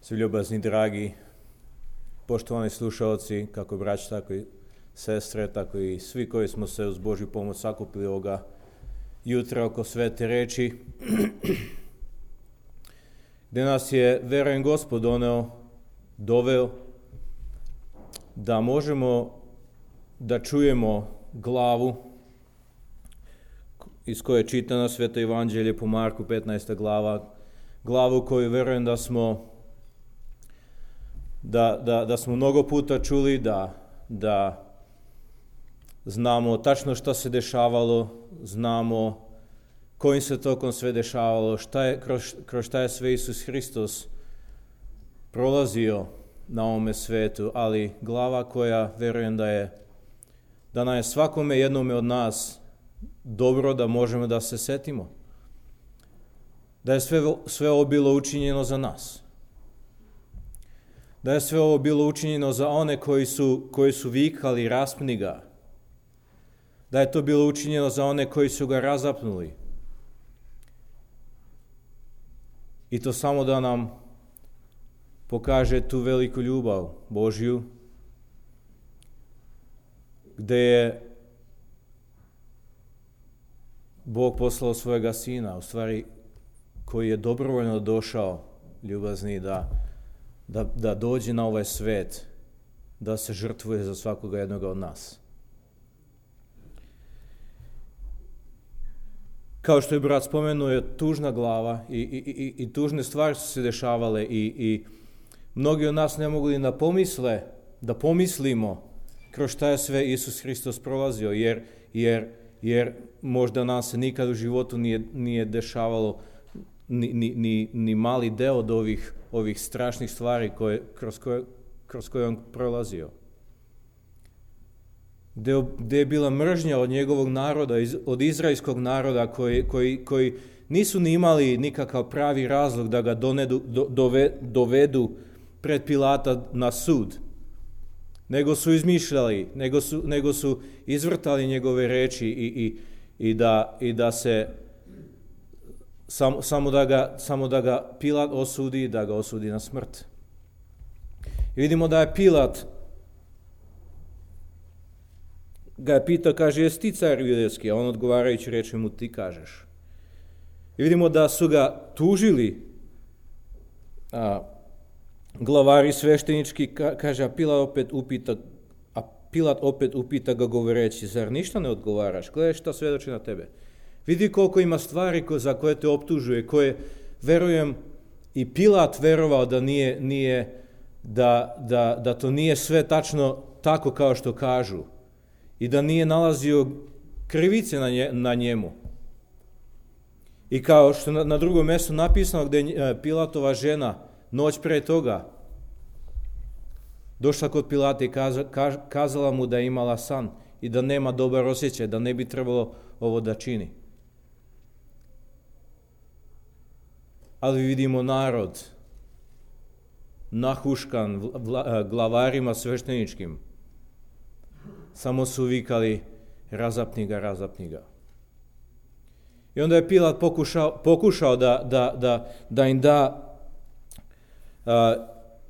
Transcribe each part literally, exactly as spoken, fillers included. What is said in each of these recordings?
Svi ljubazni, dragi, poštovani slušalci, kako braći, tako i sestre, tako i svi koji smo se uz Božju pomoć sakupili ovoga jutra oko svete reči, gdje nas je, verujem, Gospod doneo, doveo, da možemo da čujemo glavu iz koje čita na Sveto Evanđelje po Marku petnaesta glava, glavu koju verujem da smo Da, da, da smo mnogo puta čuli, da, da znamo tačno šta se dešavalo, znamo kojim se tokom sve dešavalo, šta je, kroz, kroz šta je sve Isus Hristos prolazio na ovome svetu, ali glava koja verujem da je, da nam je svakome jednome od nas dobro da možemo da se setimo. Da je sve, sve ovo bilo učinjeno za nas. Da je sve ovo bilo učinjeno za one koji su, koji su vikali raspni ga. Da je to bilo učinjeno za one koji su ga razapnuli. I to samo da nam pokaže tu veliku ljubav Božju, gdje je Bog poslao svojega sina, u stvari koji je dobrovoljno došao, ljubazni, da Da, da dođe na ovaj svet, da se žrtvuje za svakoga jednoga od nas. Kao što je brat spomenuo, je tužna glava i, i, i, i tužne stvari su se dešavale i, i mnogi od nas ne mogu ni da pomisle, da pomislimo kroz šta je sve Isus Hristos prolazio, jer, jer, jer možda nam se nikad u životu nije, nije dešavalo Ni, ni, ni, ni mali deo od ovih, ovih strašnih stvari koje, kroz, koje, kroz koje on prolazio. Gde, gde je bila mržnja od njegovog naroda, iz, od izraelskog naroda koji, koji, koji nisu ni imali nikakav pravi razlog da ga donedu, do, dove, dovedu pred Pilata na sud. Nego su izmišljali, nego su, nego su izvrtali njegove reči i, i, i, da, i da se Samo, samo, da ga, samo da ga Pilat osudi, da ga osudi na smrt. I vidimo da je Pilat ga je pitao, kaže, jesi ti car judejski? A on odgovarajući reče mu, ti kažeš. I vidimo da su ga tužili a, glavari sveštenički, ka, kaže, a Pilat opet upita, a Pilat opet upita ga govoreći, zar ništa ne odgovaraš? Gledaj šta svedoči na tebe. Vidi koliko ima stvari za koje te optužuje, koje, verujem, i Pilat verovao da nije, nije da, da, da to nije sve tačno tako kao što kažu i da nije nalazio krivice na, nje, na njemu. I kao što na, na drugom mjestu napisano gdje je Pilatova žena noć pre toga došla kod Pilata i kaza, kaž, kazala mu da je imala san i da nema dobar osjećaj, da ne bi trebalo ovo da čini. Ali vidimo narod nahuškan vla, glavarima svešteničkim. Samo su vikali razapni ga, razapni ga. I onda je Pilat pokušao, pokušao da, da, da, da im da, a,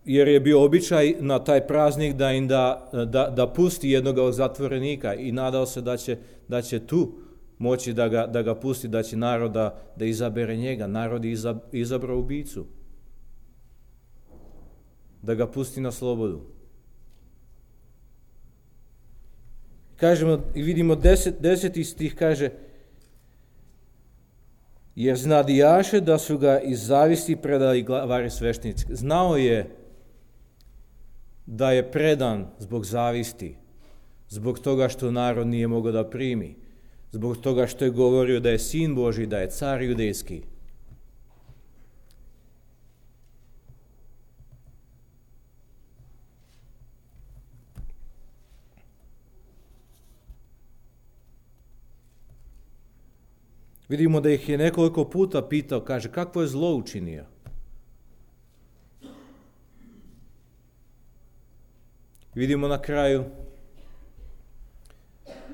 jer je bio običaj na taj praznik da im da, da, da pusti jednog od zatvorenika i nadao se da će, da će tu moći da ga, da ga pusti, da će narod da, da izabere njega. Narod je izab, izabrao ubicu. Da ga pusti na slobodu. Kažemo i vidimo deset, deseti stih kaže, jer znadijaše da su ga iz zavisti predali glavari sveštenici. Znao je da je predan zbog zavisti, zbog toga što narod nije mogao da primi, zbog toga što je govorio da je sin Božji, da je car judejski. Vidimo da ih je nekoliko puta pitao, kaže, kakvo je zlo učinio? Vidimo na kraju,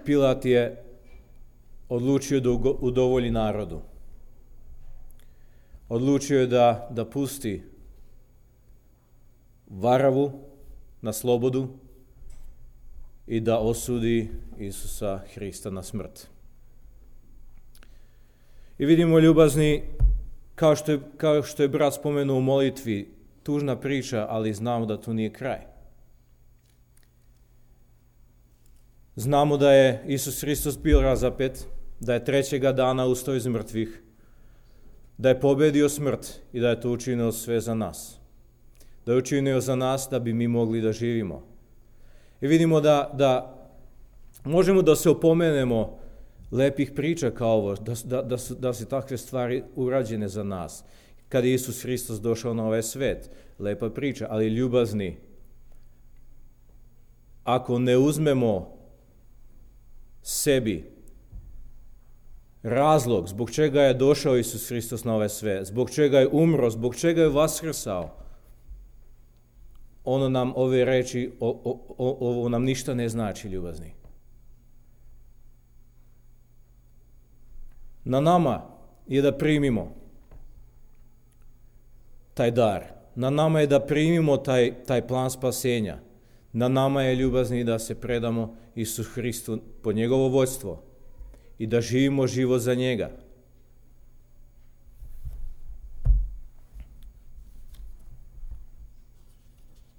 Pilat je odlučio da udovolji narodu. Odlučio je da, da pusti varavu na slobodu i da osudi Isusa Hrista na smrt. I vidimo, ljubazni, kao što je, kao što je brat spomenuo u molitvi, tužna priča, ali znamo da to nije kraj. Znamo da je Isus Hristos bio razapet, da je trećega dana ustao iz mrtvih, da je pobedio smrt i da je to učinio sve za nas. Da je učinio za nas da bi mi mogli da živimo. I vidimo da, da možemo da se opomenemo lepih priča kao ovo, da, da, da, su, da su takve stvari urađene za nas. Kad je Isus Hristos došao na ovaj svet, lepa priča, ali ljubazni, ako ne uzmemo sebi razlog zbog čega je došao Isus Hristos na ovaj svet, zbog čega je umro, zbog čega je vaskrsao, ono nam ove reči, o, o, o, ovo nam ništa ne znači, ljubazni. Na nama je da primimo taj dar. Na nama je da primimo taj, taj plan spasenja. Na nama je, ljubazni, da se predamo Isu Hristu po njegovo vođstvo i da živimo život za njega.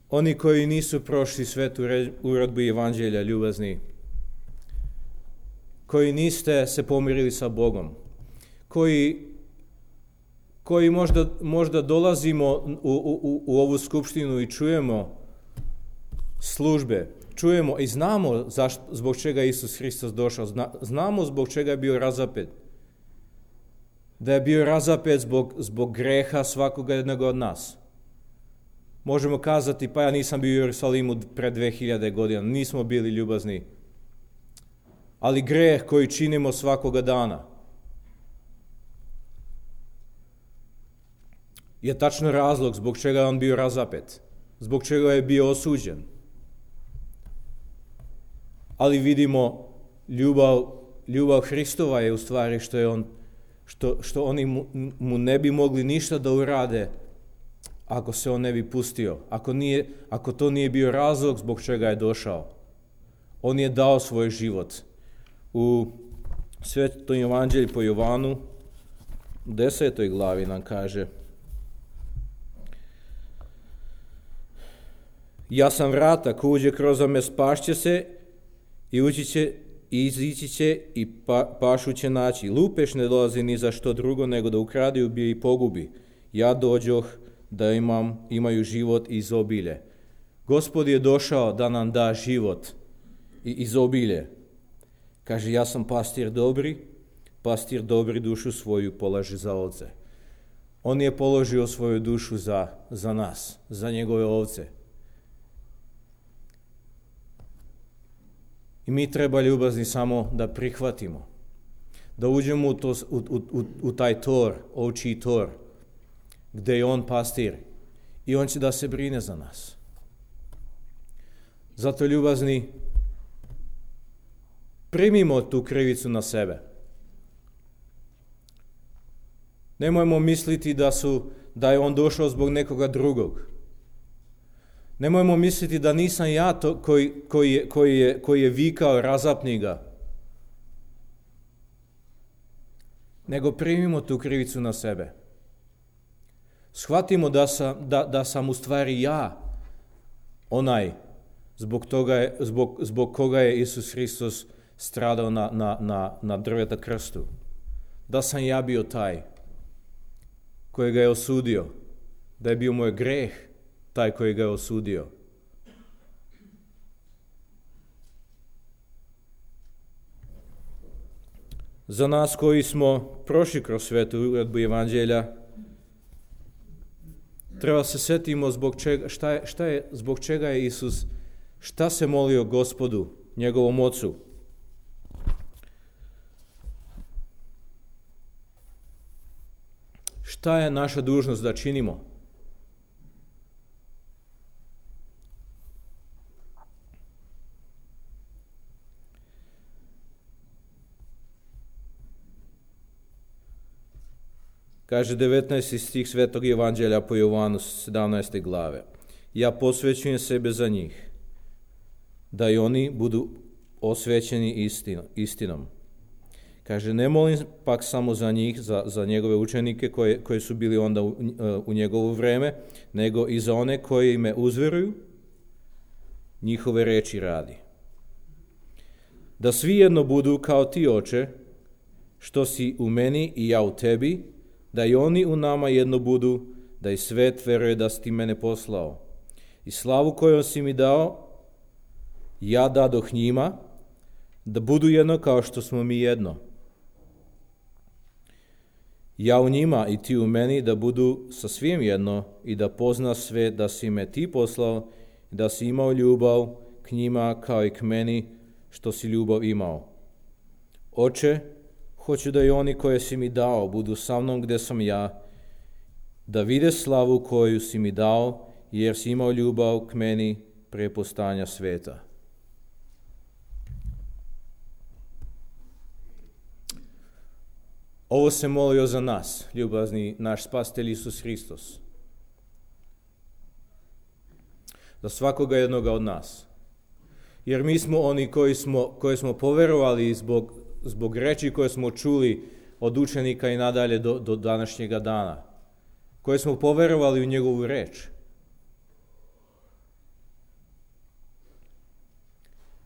Oni koji nisu prošli svetu uredbu evanđelja, ljubazni, koji niste se pomirili sa Bogom, koji, koji možda, možda dolazimo u, u, u ovu skupštinu i čujemo službe, čujemo i znamo zašto, zbog čega je Isus Hristos došao, zna, znamo zbog čega je bio razapet. Da je bio razapet zbog, zbog greha svakoga jednog od nas. Možemo kazati, pa ja nisam bio u Jerusalimu pre dve hiljade godina, nismo bili ljubazni. Ali greh koji činimo svakoga dana je tačno razlog zbog čega je on bio razapet, zbog čega je bio osuđen. Ali vidimo, ljubav, ljubav Hristova je u stvari što je on, što, što oni mu, mu ne bi mogli ništa da urade ako se on ne bi pustio, ako, nije, ako to nije bio razlog zbog čega je došao. On je dao svoj život. U Svetom evanđelju po Jovanu, u desetoj glavi nam kaže: ja sam vrata, ko uđe kroz me spašće se i ući će i izići će i pa, pašu će naći. Lupež ne dolazi ni za što drugo nego da ukrade, ubije i pogubi. Ja dođoh da imam, imaju život i izobilje. Gospod je došao da nam da život i izobilje. Kaže, ja sam pastir dobri, pastir dobri dušu svoju polaže za ovce. On je položio svoju dušu za, za nas, za njegove ovce. I mi treba, ljubazni, samo da prihvatimo, da uđemo u, to, u, u, u taj tor, ovčji tor, gde je on pastir i on će da se brine za nas. Zato, ljubazni, primimo tu krivicu na sebe. Nemojmo misliti da, su, da je on došao zbog nekoga drugog. Nemojmo misliti da nisam ja to koji, koji, je, koji, je, koji je vikao razapni ga. Nego primimo tu krivicu na sebe. Shvatimo da sam, da, da sam u stvari ja onaj zbog, toga je, zbog, zbog koga je Isus Hristos stradao na, na, na, na drveta krstu. Da sam ja bio taj koji ga je osudio. Da je bio moj greh taj koji ga je osudio. Za nas koji smo prošli kroz svetu uredbu evanđelja, treba se setimo zbog čega, šta je, šta je, zbog čega je Isus, šta se molio Gospodu, njegovom Ocu. Šta je naša dužnost da činimo? Kaže devetnaesti stih Svetog evanđelja po Jovanu sedamnaeste glave. ja posvećujem sebe za njih, da i oni budu osvećeni istinom. Kaže, ne molim pak samo za njih, za, za njegove učenike koje, koje su bili onda u, u njegovo vreme, nego i za one koji me uzveruju, njihove reči radi. Da svi jedno budu kao ti, Oče, što si u meni i ja u tebi, da i oni u nama jedno budu, da i svet veruje da si ti mene poslao. I slavu koju si mi dao, ja dadoh njima, da budu jedno kao što smo mi jedno. Ja u njima i ti u meni, da budu sa svim jedno i da pozna sve da si me ti poslao i da si imao ljubav k njima kao i k meni što si ljubav imao. Oče, hoću da i oni koje si mi dao budu sa mnom gde sam ja, da vide slavu koju si mi dao, jer si imao ljubav k meni pre postojanja sveta. Ovo se molio za nas, ljubazni naš Spasitelj Isus Hristos. Za svakoga jednoga od nas. Jer mi smo oni koji smo, koji smo poverovali zbog, zbog reči koje smo čuli od učenika i nadalje do, do današnjega dana. Koji smo poverovali u njegovu reč.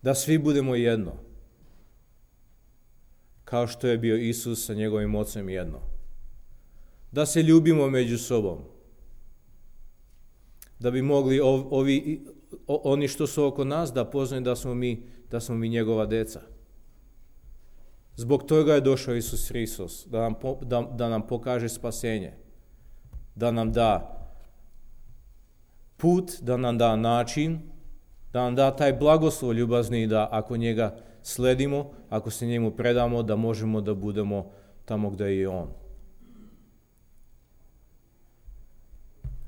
Da svi budemo jedno. Kao što je bio Isus sa njegovim ocem jedno. Da se ljubimo među sobom. Da bi mogli ovi, oni što su oko nas da poznaju da smo mi, da smo mi njegova deca. Zbog toga je došao Isus Hristos, da nam, da, da nam pokaže spasenje. Da nam da put, da nam da način, da nam da taj blagoslov ljubazni da ako njega sledimo, ako se njemu predamo, da možemo da budemo tamo gde je on.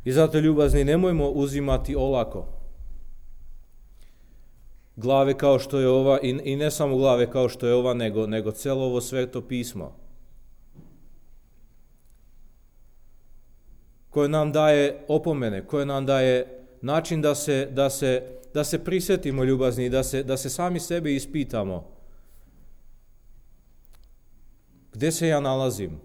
I zato, ljubazni, nemojmo uzimati olako glave kao što je ova, i, i ne samo glave kao što je ova, nego, nego celo ovo sveto pismo, koje nam daje opomene, koje nam daje način da se, da se, da se prisjetimo, ljubazni, da se, da se sami sebe ispitamo. Gde se ja nalazim?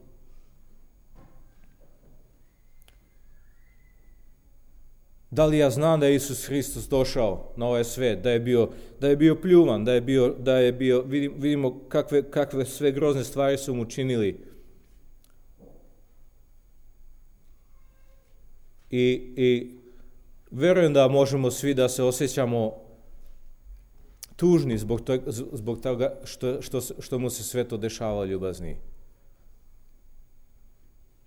Da li ja znam da je Isus Hristos došao na ovaj svet, da je bio, da je bio pljuvan, da je bio, da je bio, vidimo kakve, kakve sve grozne stvari su mu činili. I, i verujem da možemo svi da se osjećamo tužni zbog toga, zbog toga što, što, što mu se sve to dešava, ljubazni.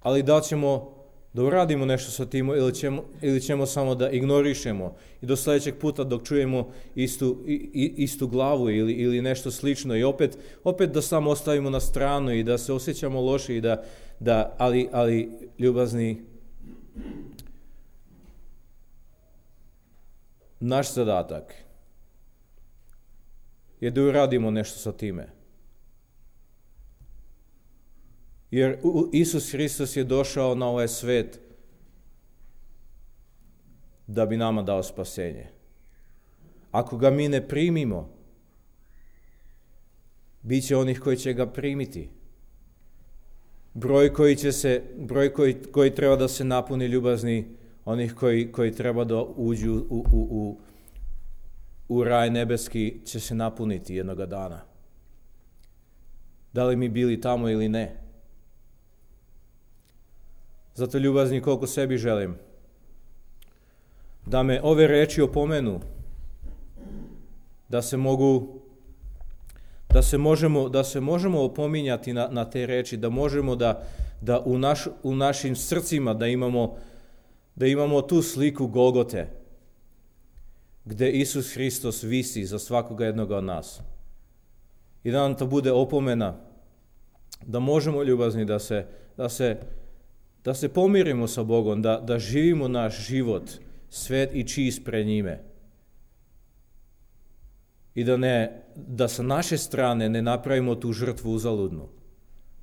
Ali da ćemo da uradimo nešto sa tim ili ćemo, ili ćemo samo da ignorišemo i do sljedećeg puta dok čujemo istu, i, istu glavu ili, ili nešto slično i opet, opet da samo ostavimo na stranu i da se osjećamo loše i da, da ali, ali ljubazni, naš zadatak je da uradimo nešto sa time. Jer Isus Hristos je došao na ovaj svet da bi nama dao spasenje. Ako ga mi ne primimo, bit će onih koji će ga primiti. Broj koji će se, broj koji, koji treba da se napuni, ljubazni, onih koji, koji treba da uđu u, u, u, u raj nebeski, će se napuniti jednoga dana. Da li mi bili tamo ili ne? Zato, ljubazni, koliko sebi želim da me ove reči opomenu, da se mogu, da se možemo, da se možemo opominjati na, na te reči, da možemo da, da u, naš, u našim srcima da imamo, da imamo tu sliku Golgote, gde Isus Hristos visi za svakoga jednoga od nas. I da nam to bude opomena, da možemo, ljubazni, da se, da se da se pomirimo sa Bogom, da, da živimo naš život svet i čist pred njime. I da, ne, da sa naše strane ne napravimo tu žrtvu uzaludnu.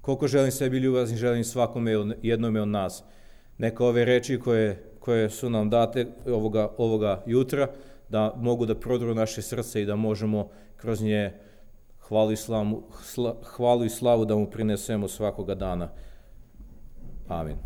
Koliko želim sebi, ljubazni, želim svakome jednome od nas. Neka ove reči koje, koje su nam date ovoga, ovoga jutra, da mogu da prodru naše srce i da možemo kroz nje hvalu i slavu, hvalu i slavu da mu prinesemo svakoga dana. Amin.